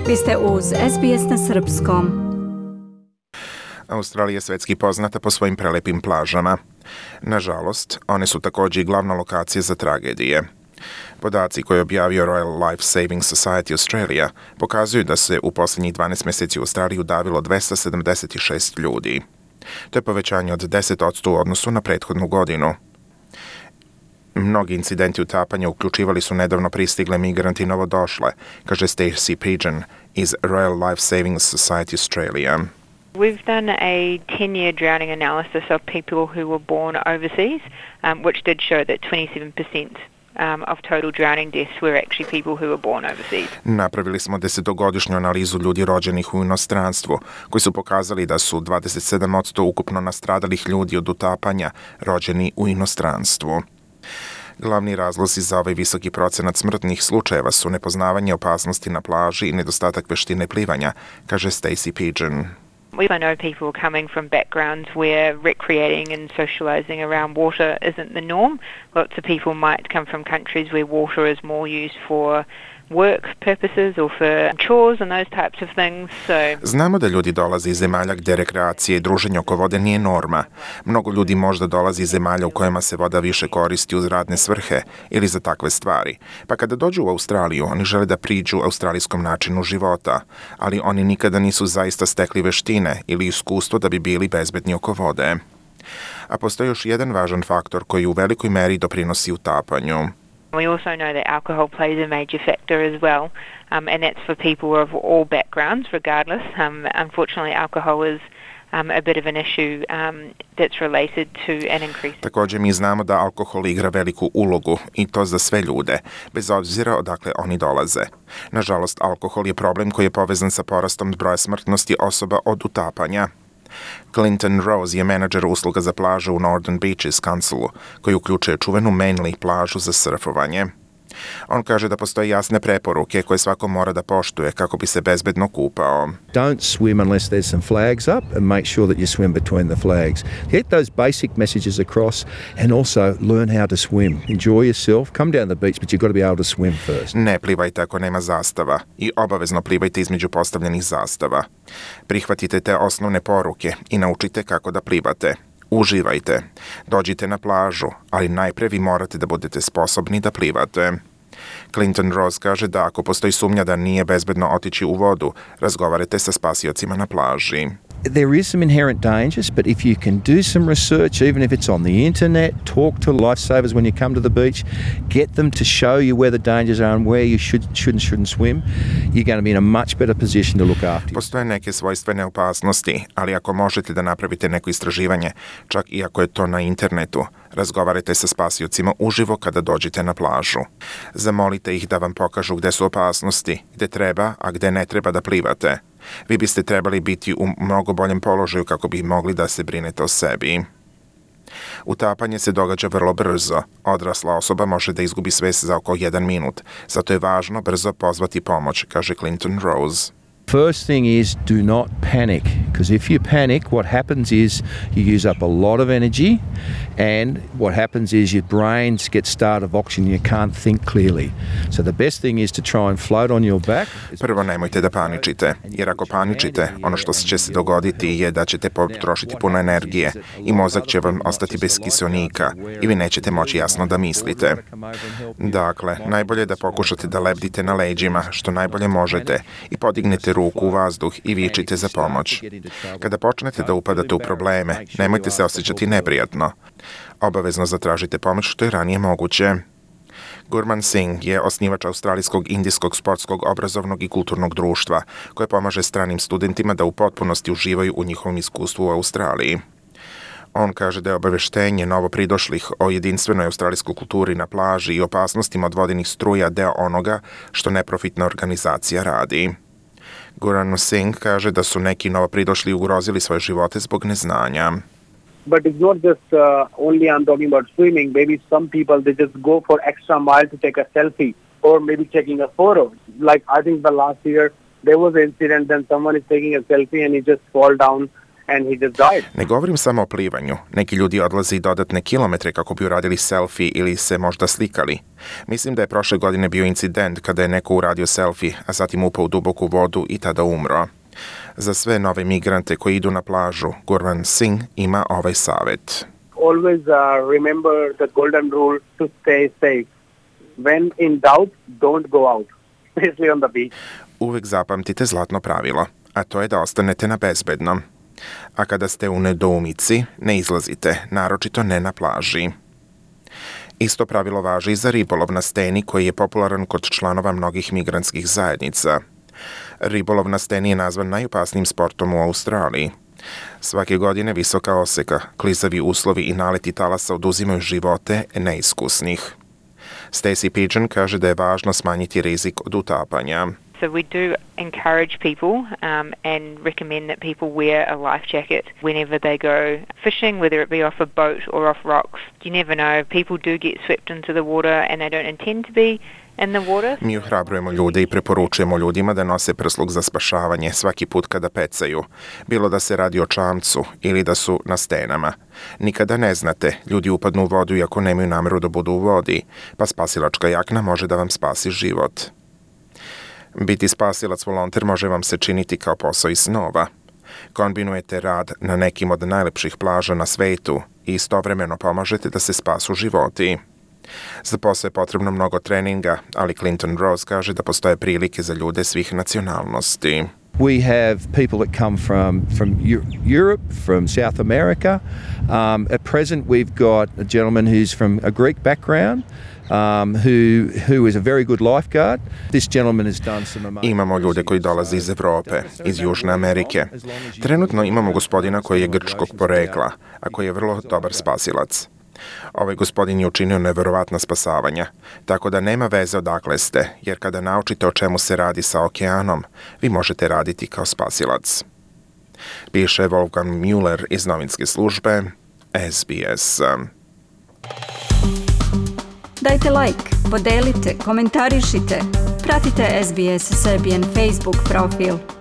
Vi ste uz SBS na srpskom. Australija je svetski poznata po svojim prelepim plažama. Nažalost, one su također i glavna lokacija za tragedije. Podaci koje je objavio Royal Life Saving Society Australia pokazuju da se u posljednjih 12 mjeseci u Australiji udavilo 276 ljudi. To je povećanje od 10% u odnosu na prethodnu godinu. Mnogi incidenti utapanja uključivali su nedavno pristigle migranti novodošle, kaže Stacey Pigeon iz Royal Life Saving Society Australia. We've done a 10-year drowning analysis of people who were born overseas, which did show that 27% of total drowning deaths were actually people who were born overseas. Napravili smo 10-godišnju analizu ljudi rođenih u inostranstvu, koji su pokazali da su 27% ukupno nastradalih ljudi od utapanja rođeni u inostranstvu. Glavni razlozi za ovaj visoki procenat smrtnih slučajeva su nepoznavanje opasnosti na plaži i nedostatak veštine plivanja, kaže Stacey Pigeon. We know people coming from backgrounds where recreating and socialising around water isn't the norm. Lots of people might come from countries where water is more used for work purposes or for chores and those types of things. Znamo da ljudi dolaze iz zemalja gdje rekreacija i druženje oko vode nije norma. Mnogo ljudi možda dolazi iz zemalja u kojima se voda više koristi uz radne svrhe ili za takve stvari. Pa kada dođu u Australiju, oni žele da priđu australijskom načinu života, ali oni nikada nisu zaista stekli veštine ili iskustvo da bi bili bezbedni oko vode. A postoji još jedan važan faktor koji u velikoj meri doprinosi utapanju. We also know that alcohol plays a major factor as well, and that's for people of all backgrounds, regardless. Unfortunately, alcohol is a bit of an issue that's related to an increase. Također mi znamo da alkohol igra veliku ulogu i to za sve ljude, bez obzira odakle oni dolaze. Nažalost, alkohol je problem koji je povezan sa porastom broja smrtnosti osoba od utapanja. Clinton Rose je menadžer usluga za plažu u Northern Beaches Councilu, koji uključuje čuvenu Manly plažu za surfovanje. On kaže da postoje jasne preporuke koje svako mora da poštuje kako bi se bezbedno kupao. Don't swim unless there's some flags up and make sure that you swim between the flags. Get those basic messages across and also learn how to swim. Enjoy yourself, come down the beach, but you've got to be able to swim first. Ne plivajte ako nema zastava i obavezno plivajte između postavljenih zastava. Prihvatite te osnovne poruke i naučite kako da plivate. Uživajte. Dođite na plažu, ali najpre vi morate da budete sposobni da plivate. Clinton Rose kaže da ako postoji sumnja da nije bezbedno otići u vodu, razgovarajte sa spasiocima na plaži. There is some inherent dangers, but if you can do some research, even if it's on the internet, talk to lifesavers when you come to the beach, get them to show you where the dangers are and where you shouldn't swim, you're going to be in a much better position to look after you. Postoje neke svojstvene opasnosti, ali ako možete da napravite neko istraživanje, čak i ako je to na internetu, razgovarajte sa spasiocima uživo kada dođete na plažu. Zamolite ih da vam pokažu gde su opasnosti, gde treba, a gde ne treba da plivate. Vi biste trebali biti u mnogo boljem položaju kako bi mogli da se brinete o sebi. Utapanje se događa vrlo brzo. Odrasla osoba može da izgubi svest za oko 1 minut. Zato je važno brzo pozvati pomoć, kaže Clinton Rose. First thing is do not panic, because if you panic, what happens is you use up a lot of energy, and what happens is your brain gets starved of oxygen, you can't think clearly. So the best thing is to try and float on your back. Prvo nemojte da paničite, jer ako paničite, ono što će se dogoditi je da ćete potrošiti puno energije i mozak će vam ostati bez kiseonika i vi nećete moći jasno da mislite. Dakle, najbolje je da pokušate da lebdite na leđima što najbolje možete i podignete ruku u vazduh i vičite za pomoć. Kada počnete da upadate u probleme, nemojte se osjećati neprijatno. Obavezno zatražite pomoć što je ranije moguće. Gurman Singh je osnivač Australijskog indijskog sportskog obrazovnog i kulturnog društva, koje pomaže stranim studentima da u potpunosti uživaju u njihovom iskustvu u Australiji. On kaže da je obaveštenje novopridošlih o jedinstvenoj australijskoj kulturi na plaži i opasnostima od vodenih struja deo onoga što neprofitna organizacija radi. Gurman Singh kaže da su neki novopridošli ugrozili svoje živote zbog neznanja. But it's not just only I'm talking about swimming. Maybe some people, they just go for extra mile to take a selfie or maybe taking a photo. Like I think the last year there was an incident that someone is taking a selfie and he just fall down and he just died. Ne govorim samo o plivanju. Neki ljudi odlaze i dodatne kilometre kako bi uradili selfie ili se možda slikali. Mislim da je prošle godine bio incident kada je neko uradio selfie, a zatim upao u duboku vodu i tada umro. Za sve nove migrante koji idu na plažu, Gurvan Singh ima ovaj savjet. Always remember the golden rule to stay safe. When in doubt, don't go out, especially on the beach. Uvek zapamtite zlatno pravilo, a to je da ostanete na bezbednom. A kada ste u nedoumici, ne izlazite, naročito ne na plaži. Isto pravilo važi i za ribolov na steni koji je popularan kod članova mnogih migrantskih zajednica. Ribolov na steni je nazvan najopasnijim sportom u Australiji. Svake godine visoka oseka, klizavi uslovi i naleti talasa oduzimaju živote neiskusnih. Stacey Pigeon kaže da je važno smanjiti rizik od utapanja. So we do encourage people and recommend that people wear a life jacket whenever they go fishing, whether it be off a boat or off rocks. You never know. People do get swept into the water and they don't intend to be in the water. Mi ohrabrujemo ljude i preporučujemo ljudima da nose prsluk za spašavanje svaki put kada pecaju, bilo da se radi o čamcu ili da su na stenama. Nikada ne znate, ljudi upadnu u vodu iako nemaju nameru da budu u vodi, pa spasilačka jakna može da vam spasi život. Biti spasilac volonter može vam se činiti kao posao iz snova. Kombinujete rad na nekim od najlepših plaža na svetu i istovremeno pomažete da se spasu životi. Za posao je potrebno mnogo treninga, ali Clinton Rose kaže da postoje prilike za ljude svih nacionalnosti. We have people that come from Europe, from South America. At present, we've got a gentleman who's from a Greek background, who is a very good lifeguard. This gentleman has done some amazing... Imamo ljude koji dolaze iz Evrope, iz Južne Amerike. Trenutno imamo gospodina koji je grčkog porekla, a koji je vrlo dobar spasilac. Ovaj gospodin je učinio neverovatna spasavanja, tako da nema veze odakle ste, jer kada naučite o čemu se radi sa okeanom, vi možete raditi kao spasilac. Piše Wolfgang Müller iz novinske službe SBS. Dajte like, podelite, komentarišite. Pratite SBS Serbian Facebook profil.